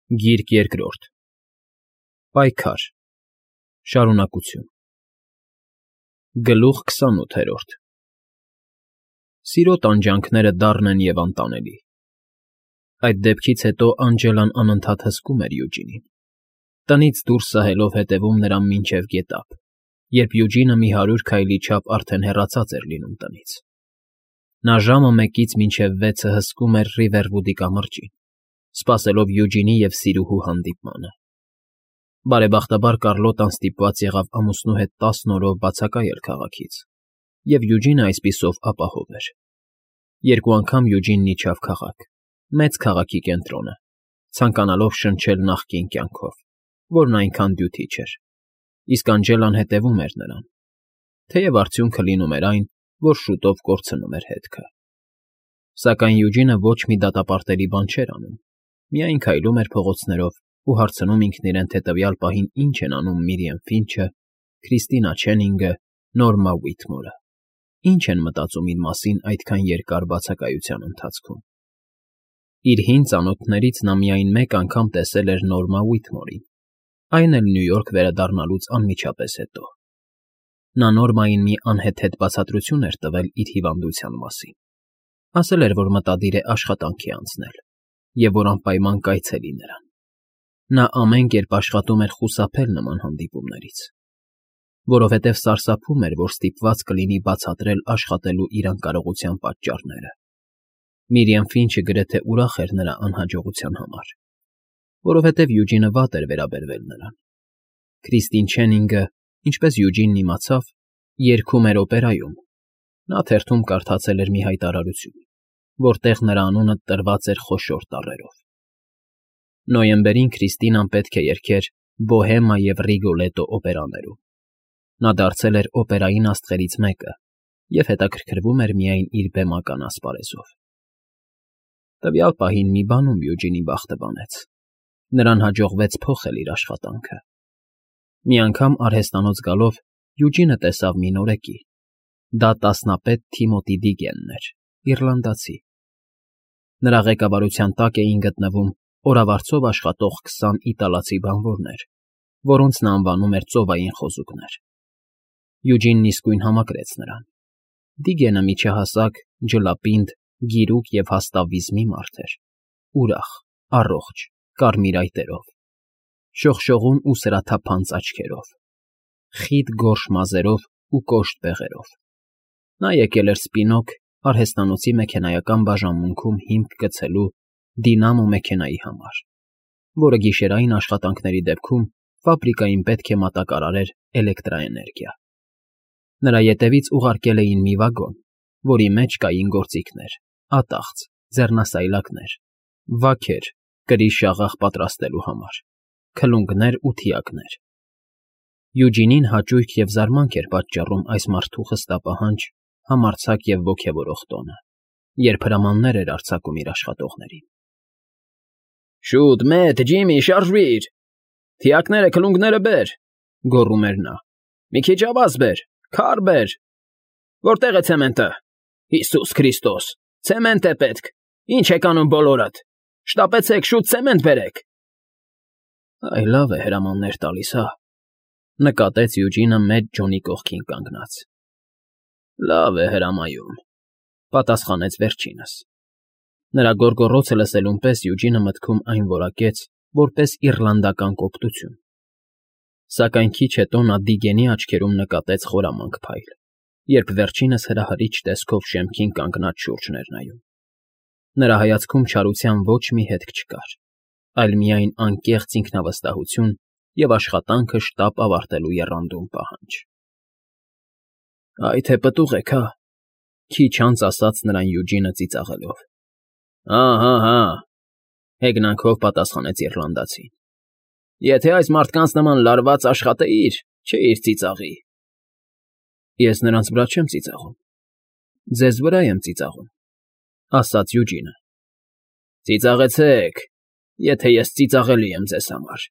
Գիրք երկրորդ Պայքար Շարունակություն Գլուխ 28 Սիրո տանջանքները դառն են և անտանելի։ Այդ դեպքից հետո Անջելան անընդհատ հսկում էր Յուջինին, տնից դուրս սահելով հետևում նրան մինչև գետափ, երբ Յուջինը մի 100 քայլի չափ արդեն հեռացած էր լինում տնից։ Նա ժամը 1-ից մինչև 6-ը հսկում էր Ռիվերվուդի կամրջին, սպասելով Յուջինի և սիրուհու հանդիպմանը։ Բարեբախտաբար Կառլոտան ստիպված եղավ ամուսնու հետ 10 օրով բացակայել քաղաքից, և Յուջինը այսպիսով ապահով էր։ Երկու անգամ Յուջինն իջավ քաղաք, մեծ քաղաքի կենտրոնը, ցանկանալով շնչել նախկին կյանքով, որն այնքան դյութի չէր, իսկ Անջելան հետևում էր նրան, թեև արդյունքը լինում էր այն, որ շուտով կորցնում էր հետքը։ Սակայն Յուջինը ոչ մի դատապարտելի բան չէր անում, միայն քայլում էր փողոցներով ու հարցնում ինքն իրեն, թե տվյալ պահին ինչ են անում Միրիամ Ֆինչը, Քրիստինա Չենինգը, Նորմա Ուիթմորը, ինչ են մտածում իր մասին այդքան երկար բացակայության ընթացքում։ Իր հին ծանոթներից նա միայն մեկ անգամ տեսել էր Նորմա Ուիթմորին, այն էլ Նյու Յորք վերադառնալուց անմիջապես հետո։ Նա Նորմային մի անհեթեթ բացատրություն էր տվել իր հիվանդության մասին, ասել էր, որ մտադիր է աշխատանքի անցնել և որ անպայման կայցելի նրան։ Նա ամեն կերպ աշխատում էր խուսափել նման հանդիպումներից, որովհետև սարսափում էր, որ ստիպված կլինի բացատրել աշխատելու իր անկարողության պատճառները։ Միրիամ Ֆինչը գրեթե ուրախ էր նրա անհաջողության համար, որովհետև Յուջինը վատ էր վերաբերվել նրան։ Քրիստին Չենինգը, ինչպես Յուջինն իմացավ, երգում էր օպերայում։ Նա թերթում կարդացել էր մի հայտարարություն, որտեղ նրա անունը տրված էր խոշոր տառերով։ Նոյեմբերին Քրիստինան պետք է երգեր Բոհեմա և Ռիգոլետո օպերաներում։ Նա դարձել էր օպերային աստղերից մեկը և հետաքրքրվում էր միայն իր բեմական ասպարեզով։ Տվյալ պահին մի բանում Յուջինի բախտը բանեց. նրան հաջողվեց փոխել իր աշխատանքը։ Մի անգամ արհեստանոց գալով Յուջինը տեսավ մի նորեկի։ Դա տասնապետ Թիմոթի Դիգենն էր, իռլանդացի։ Նրա ղեկավարության տակ էին գտնվում օրավարձով աշխատող 20 իտալացի բանվորներ, որոնց նա անվանում էր ծովային խոզուկներ։ Յուջինն իսկույն համակրեց նրան։ Դիգենը միջահասակ, ջլապինդ, գիրուկ և հաստավիզ մի մարդ էր, ուրախ, առողջ, կարմիր այտերով, շողշողուն ու սրաթափանց աչքերով, խիտ գորշ մազերով ու կոշտ բեղերով։ Նա եկել էր Սպինոք արհեստանոցի մեքենայական բաժանմունքում հիմք գցելու Դինամո մեքենայի համար, որը գիշերային աշխատանքների դեպքում ֆաբրիկային պետք է մատակարարեր էլեկտրաէներգիա։ Նրա ետևից ուղարկել էին մի վագոն, որի մեջ կային գործիքներ, ատաղձ, ձեռնասայլակներ, վաքեր կրի շաղախ պատրաստելու համար, քլունգներ ու թիակներ։ Յուջինին հաճույք և զարմանք էր պատճառում այս մարդու խստապահանջ, համարձակ և ոգևորող տոնը, երբ հրամաններ էր արձակում իր աշխատողներին։ «Շուտ, Մեթ, Ջիմի, շարժվիր, թիակները, քլունգները բեր», գոռում էր նա։ «Մի քիչ ավազ բեր, քար բեր։ Որտե՞ղ է ցեմենտը։ Հիսուս Քրիստոս, ցեմենտ է պետք, ինչ եք անում բոլորդ, շտապեցեք, շուտ ցեմենտ բերեք»։ Այ լավ է հրամաններ տալիս, հա, նկատեց Յուջինը մեծ Ջոնի կողքին կանգնած։ Լավ է հրամայում, պատասխանեց վերջինս։ Նրա գոռգոռոցը լսելուն պես Յուջինը մտքում այն որակեց, որպես իռլանդական կոպտություն։ Սակայն քիչ հետո նա Դիգենի աչքերում նկատեց խորամանկ փայլ, երբ վերջինս հրահրիչ տեսքով շեմքին կանգնած շուրջն էր նայում։ Նրա հայացքում չարության ոչ մի հետք չկար, այլ միայն անկեղծ ինքնավստահություն և աշխատանքը շտապ ավարտելու եռանդուն պահանջ։ «Այ թե պտուղ եք, հա», քիչ անց ասաց նրան Յուջինը ծիծաղելով։ «Հա, հեգնանքով պատասխանեց իռլանդացին։ Եթե այս մարդկանց նման լարված աշխատեիր, չէիր ծիծաղի»։ Ես նրանց վրա չեմ ծիծաղում, ձեզ վրա եմ ծիծաղում, ասաց Յուջինը։ Ծիծաղեցեք, եթե ես ծիծաղելի եմ ձեզ համար,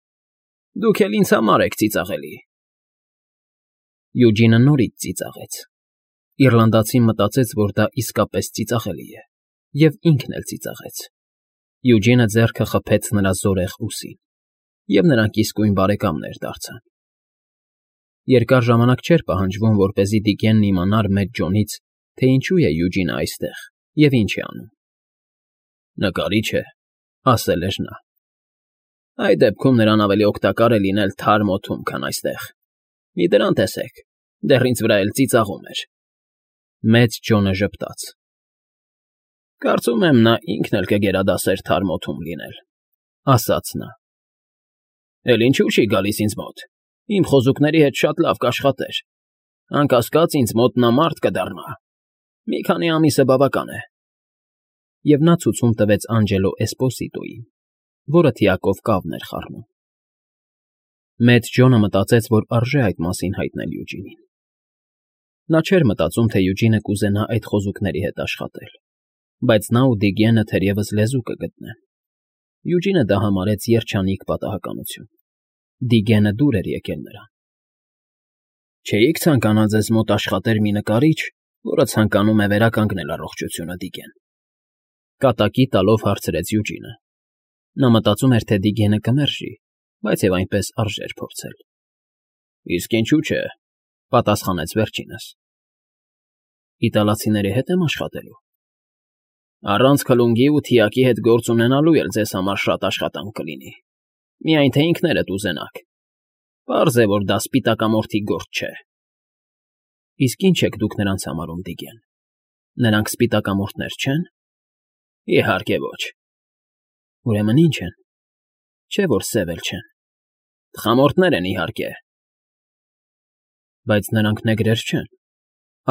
դուք էլ ինձ համար եք ծիծաղելի։ Յուջինը նորից ծիծաղեց։ Իռլանդացին մտածեց, որ դա իսկապես ծիծաղելի է, և ինքն էլ ծիծաղեց։ Յուջինը ձեռքը խփեց նրա զորեղ ուսին, և նրանք իսկույն բարեկամներ դարձան։ Երկար ժամանակ չէր պահանջվում, որպեսզի Դիգենն իմանար մեծ Ջոնից, թե ինչու է Յուջինը այստեղ և ինչ է անում։ Նկարիչ է, ասել էր նա։ Այդ դեպքում նրան ավելի օգտակար է լինել թարմ օդում, քան այստեղ։ Մի դրան տեսեք, դեռ ինձ վրա էլ ծիծաղում էր։ Մեծ Ջոնը ժպտաց։ Կարծում եմ, նա ինքն էլ կգերադասեր թարմ օդում լինել, ասաց նա։ Էլ ինչու՞ չի գալիս ինձ մոտ։ Իմ խոզուկների հետ շատ լավ կաշխատեր։ Անկասկած ինձ մոտ նա մարդ կդառնա։ Մի քանի ամիսը բավական է։ Եվ նա ցույց տվեց Անջելո Էսպոսիտոյին, որը թիակով կավն էր խառնում։ Մեծ Ջոնը մտածեց, որ արժե այդ մասին հայտնել Յուջինին։ Նա չէր մտածում, թե Յուջինը կուզենա այդ խոզուկների հետ աշխատել, բայց նա ու Դիգենը թերևս լեզու կգտնեն։ Յուջինը դա համարեց երջանիկ պատահականություն։ Դիգենը դուր էր եկել նրան։ Չէիք ցանկանա ձեզ մոտ աշխատեր մի նկարիչ, որը ցանկանում է վերականգնել առողջությունը, Դիգեն։ Կատակի տալով հարցրեց Յուջինը։ Նա մտածում էր, թե Դիգենը կմերժի, բայց և այնպես արժեր փորձել։ Իսկ ինչու՞ չէ, պատասխանեց վերջինս։ Իտալացիների հետ եմ աշխատելու։ Առանց քլունգի ու թիակի հետ գործ ունենալու էլ ձեզ համար շատ աշխատանք կլինի։ Միայն թե ինքներդ ուզենաք։ Պարզ է, որ դա սպիտակամորթի գործ չէ։ Իսկ ինչ եք դուք նրանց համարում, Դիգեն։ Նրանք սպիտակամորթներ չեն։ Իհարկե ոչ։ Ուրեմն ինչ են։ Չէ՞ որ սև էլ չեն։ Տխամորթներ են, իհարկե։ Բայց նրանք նեգրեր չեն,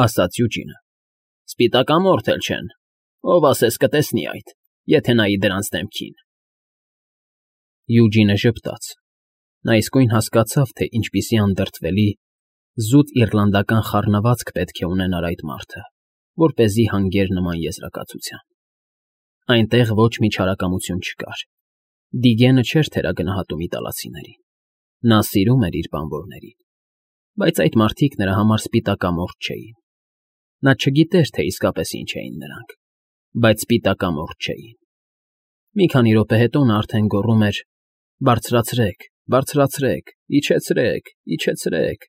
ասաց Յուջինը։ Սպիտակամորթ էլ չեն։ Ով ասես կտեսնի այդ, եթե նայի դրանց դեմքին։ Յուջինը ժպտաց։ Նա իսկույն հասկացավ, թե ինչպիսի անդրդվելի, զուտ իռլանդական խառնվածք պետք է ունենար այդ մարդը, որպեսզի հանգեր նման եզրակացության։ Այնտեղ ոչ մի չարակամություն չկար։ Դիգենը չէր թերագնահատում իտալացիներին։ Նա սիրում էր իր բանվորներին։ Բայց այդ մարդիկ նրա համար սպիտակամորթ չէին։ Նա չգիտեր, թե իսկապես ինչ էին նրանք, բայց սպիտակամորթ չէին։ Մի քանի րոպե հետո նա արդեն գոռում էր. «Բարձրացրեք, բարձրացրեք, իջեցրեք, իջեցրեք»։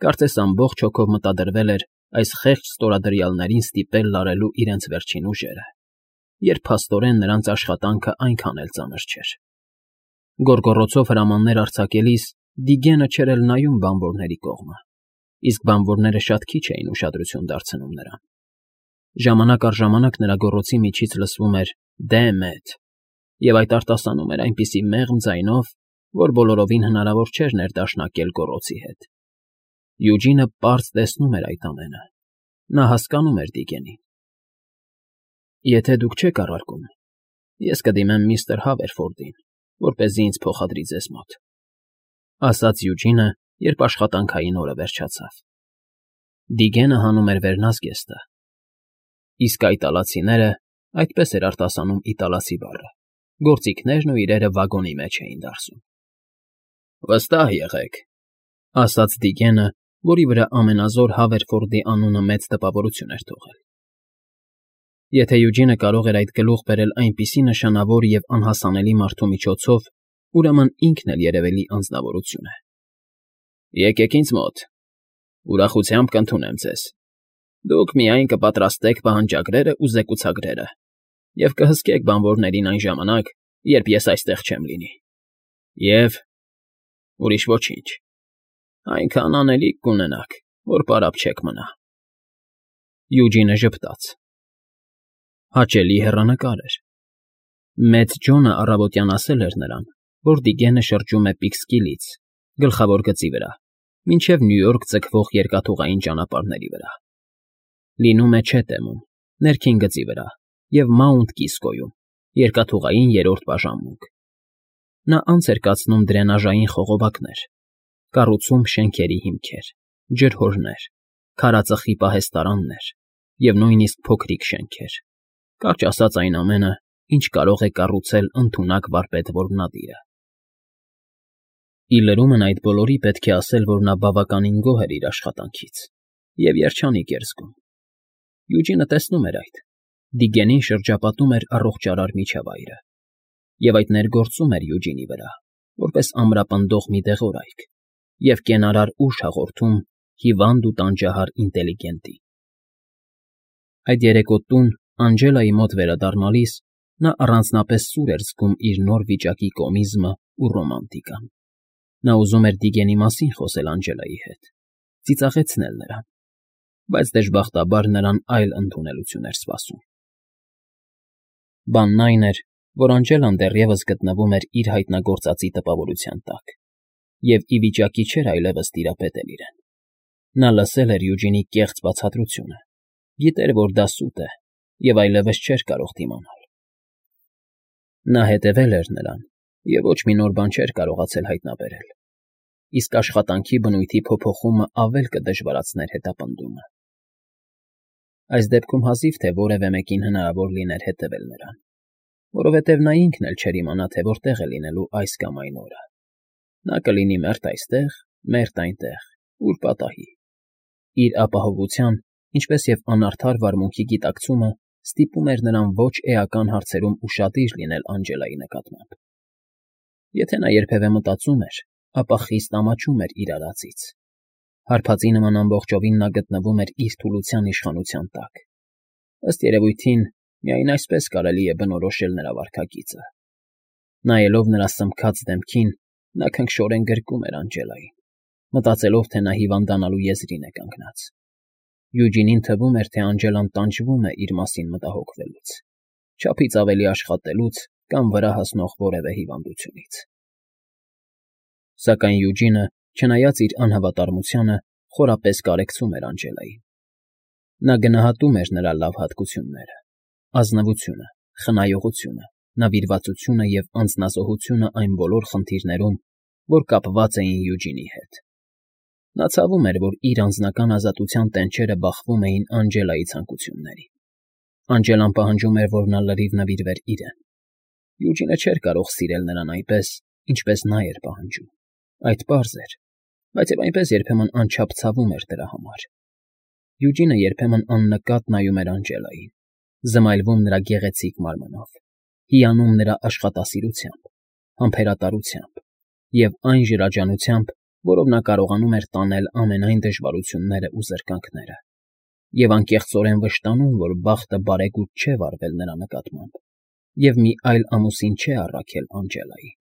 Կարծես ամբողջ հոգով մտադրվել էր այս խեղճ ստորադրյալներին ստիպել լարելու իրենց վերջին ուժերը, երբ փաստորեն նրանց աշխատանքը այնքան էլ ծանր չէր։ Գոռգոռոցով հրամաններ արձակելիս Դիգենը չէր էլ նայում բանվորների կողմը, իսկ բանվորները շատ քիչ էին ուշադրություն դարձնում նրան։ Ժամանակ առ ժամանակ նրա գոռոցի միջից լսվում էր «դե մետ», և այդ արտասանում էր այնպիսի մեղմ ձայնով, որ բոլորովին հնարավոր չէր ներդաշնակել գոռոցի հետ։ Յուջինը պարզ տեսնում էր այդ ամենը։ Նա հասկանում էր Դիգենին։ Եթե դուք չեք առարկում, ես կդիմեմ միստր Հավերֆորդին, որպեսզի ինձ փոխադրի ձեզ մոտ, ասաց Յուջինը, երբ աշխատանքային օրը վերջացավ։ Դիգենը հանում էր վերնազգեստը, իսկ իտալացիները, այդպես էր արտասանում իտալացի բառը, գործիքներն ու իրերը վագոնի մեջ էին դարսում։ Վստահ եղեք, ասաց Դիգենը, որի վրա ամենազոր Հավերֆորդի անունը մեծ տպավորություն էր թողել։ Եթե Յուջինը կարող էր այդ գլուխ բերել այնպիսի նշանավոր և անհասանելի մարդու միջոցով, ուրեմն ինքն էլ երևելի անձնավորություն է։ Եկեք ինձ մոտ, ուրախությամբ կընդունեմ ձեզ։ Դուք միայն կպատրաստեք պահանջագրերը ու զեկուցագրերը և կհսկեք բանվորներին այն ժամանակ, երբ ես այստեղ չեմ լինի։ Եվ ուրիշ ոչինչ։ Այնքան անելիք կունենաք, որ պարապ չեք մնա։ Յուջինը ժպտաց։ Հաճելի հեռանկար էր։ Մեծ Ջոնը առավոտյան ասել էր նրան, որ Դիգենը շրջում է Պիքսկիլից, գլխավոր գծի վրա, մինչև Նյու Յորք ձգվող երկաթուղային ճանապարհների վրա։ Լինում է Չեթեմում, ներքին գծի վրա, և Մաունտ Կիսկոյում, երկաթուղային երրորդ բաժանմունք։ Նա անց էր կացնում դրենաժային խողովակներ, կառուցում շենքերի հիմքեր, ջրհորներ, քարածխի պահեստարաններ և նույնիսկ փոքրիկ շենքեր, կարճ ասած այն ամենը, ինչ կարող է կառուցել ընդունակ վարպետ որմնադիրը։ Ի լրումն այդ բոլորի պետք է ասել, որ նա բավականին գոհ էր իր աշխատանքից և երջանիկ էր զգում։ Յուջինը տեսնում էր այդ։ Դիգենին շրջապատում էր առողջարար միջավայրը, Եվ այդ ներգործում էր Յուջինի վրա, որպես ամրապնդող մի դեղորայք, և կենարար ուժ հաղորդում հիվանդ ու տանջահար ինտելիգենտի։ Այդ երեկոտ տուն Անջելայի մոտ վերադառնալիս նա առանձնապես սուր էր զգում իր նոր վիճակի կոմիզմն ու ռոմանտիկան։ Նա ուզում էր Դիգենի մասին խոսել Անջելայի հետ, ծիծաղեցնել նրան, բայց դժբախտաբար նրան այլ ընդունելություն էր սպասում։ Բանն այն էր, որ Անջելան դեռևս գտնվում էր իր հայտնագործածի տպավորության տակ և ի վիճակի չէր այլևս տիրապետել իրեն։ Նա լսել էր Յուջինի կեղծ բացատրությունը, գիտեր, որ դա սուտ է և այլևս չէր կարող դիմանալ։ Նա հետևել էր նրան և ոչ մի նոր բան չէր կարողացել հայտնաբերել, իսկ աշխատանքի բնույթի փոփոխումն ավել կդժվարացներ հետապնդումը։ Այս դեպքում հազիվ թե որևէ մեկին հնարավոր լիներ հետևել նրան, որովհետև նա ինքն էլ չէր իմանա, թե որտեղ է լինելու այս կամ այն օրը։ Նա կլինի մերթ այստեղ, մերթ այնտեղ, ուր պատահի։ Իր ապահովության, ինչպես և անարդար վարմունքի գիտակցումը ստիպում էր նրան ոչ էական հարցերում ուշադիր լինել Անջելայի նկատմամբ։ Եթե նա երբևէ մտածում էր, ապա խիստ ամաչում էր իր արածից։ Հարբածի նման ամբողջովին նա գտնվում էր իր թուլության իշխանության տակ։ Ըստ երևույթին, միայն այսպես կարելի է բնորոշել նրա վարքագիծը։ Նայելով նրա սմքած դեմքին, նա քնքշորեն գրկում էր Անջելային, մտածելով, թե նա հիվանդանալու եզրին է կանգնած։ Յուջինին թվում էր, թե Անջելան տանջվում է իր մասին մտահոգվելուց, չափից ավելի աշխատելուց կամ վրա հասնող որևէ հիվանդությունից։ Սակայն Յուջինը, չնայած իր անհավատարմությանը, խորապես կարեկցում էր Անջելային։ Նա գնահատում էր նրա լավ հատկությունները՝ ազնվությունը, խնայողությունը, նվիրվածությունը և անձնազոհությունը այն բոլոր խնդիրներում, որ կապված էին Յուջինի հետ։ Նա ցավում էր, որ իր անձնական ազատության տենչերը բախվում էին Անջելայի ցանկություններին։ Անջելան պահանջում էր, որ նա լրիվ նվիրվեր իրեն։ Յուջինը չէր կարող սիրել նրան այնպես, ինչպես նա էր պահանջում։ Այդ պարզ էր, բայց և այնպես երբեմն անչափ ցավում էր դրա համար։ Յուջինը երբեմն աննկատ նայում էր Անջելային, զմայլվում նրա գեղեցիկ մարմնով, հիանում նրա աշխատասիրությամբ, համբերատարությամբ և այն ժրաջանությամբ, որով նա կարողանում էր տանել ամենայն դժվարությունները ու զրկանքները, և անկեղծորեն վշտանում, որ բախտը բարեգութ չէ վարվել նրա նկատմամբ և մի այլ ամուսին չէ առաքել Անջելային։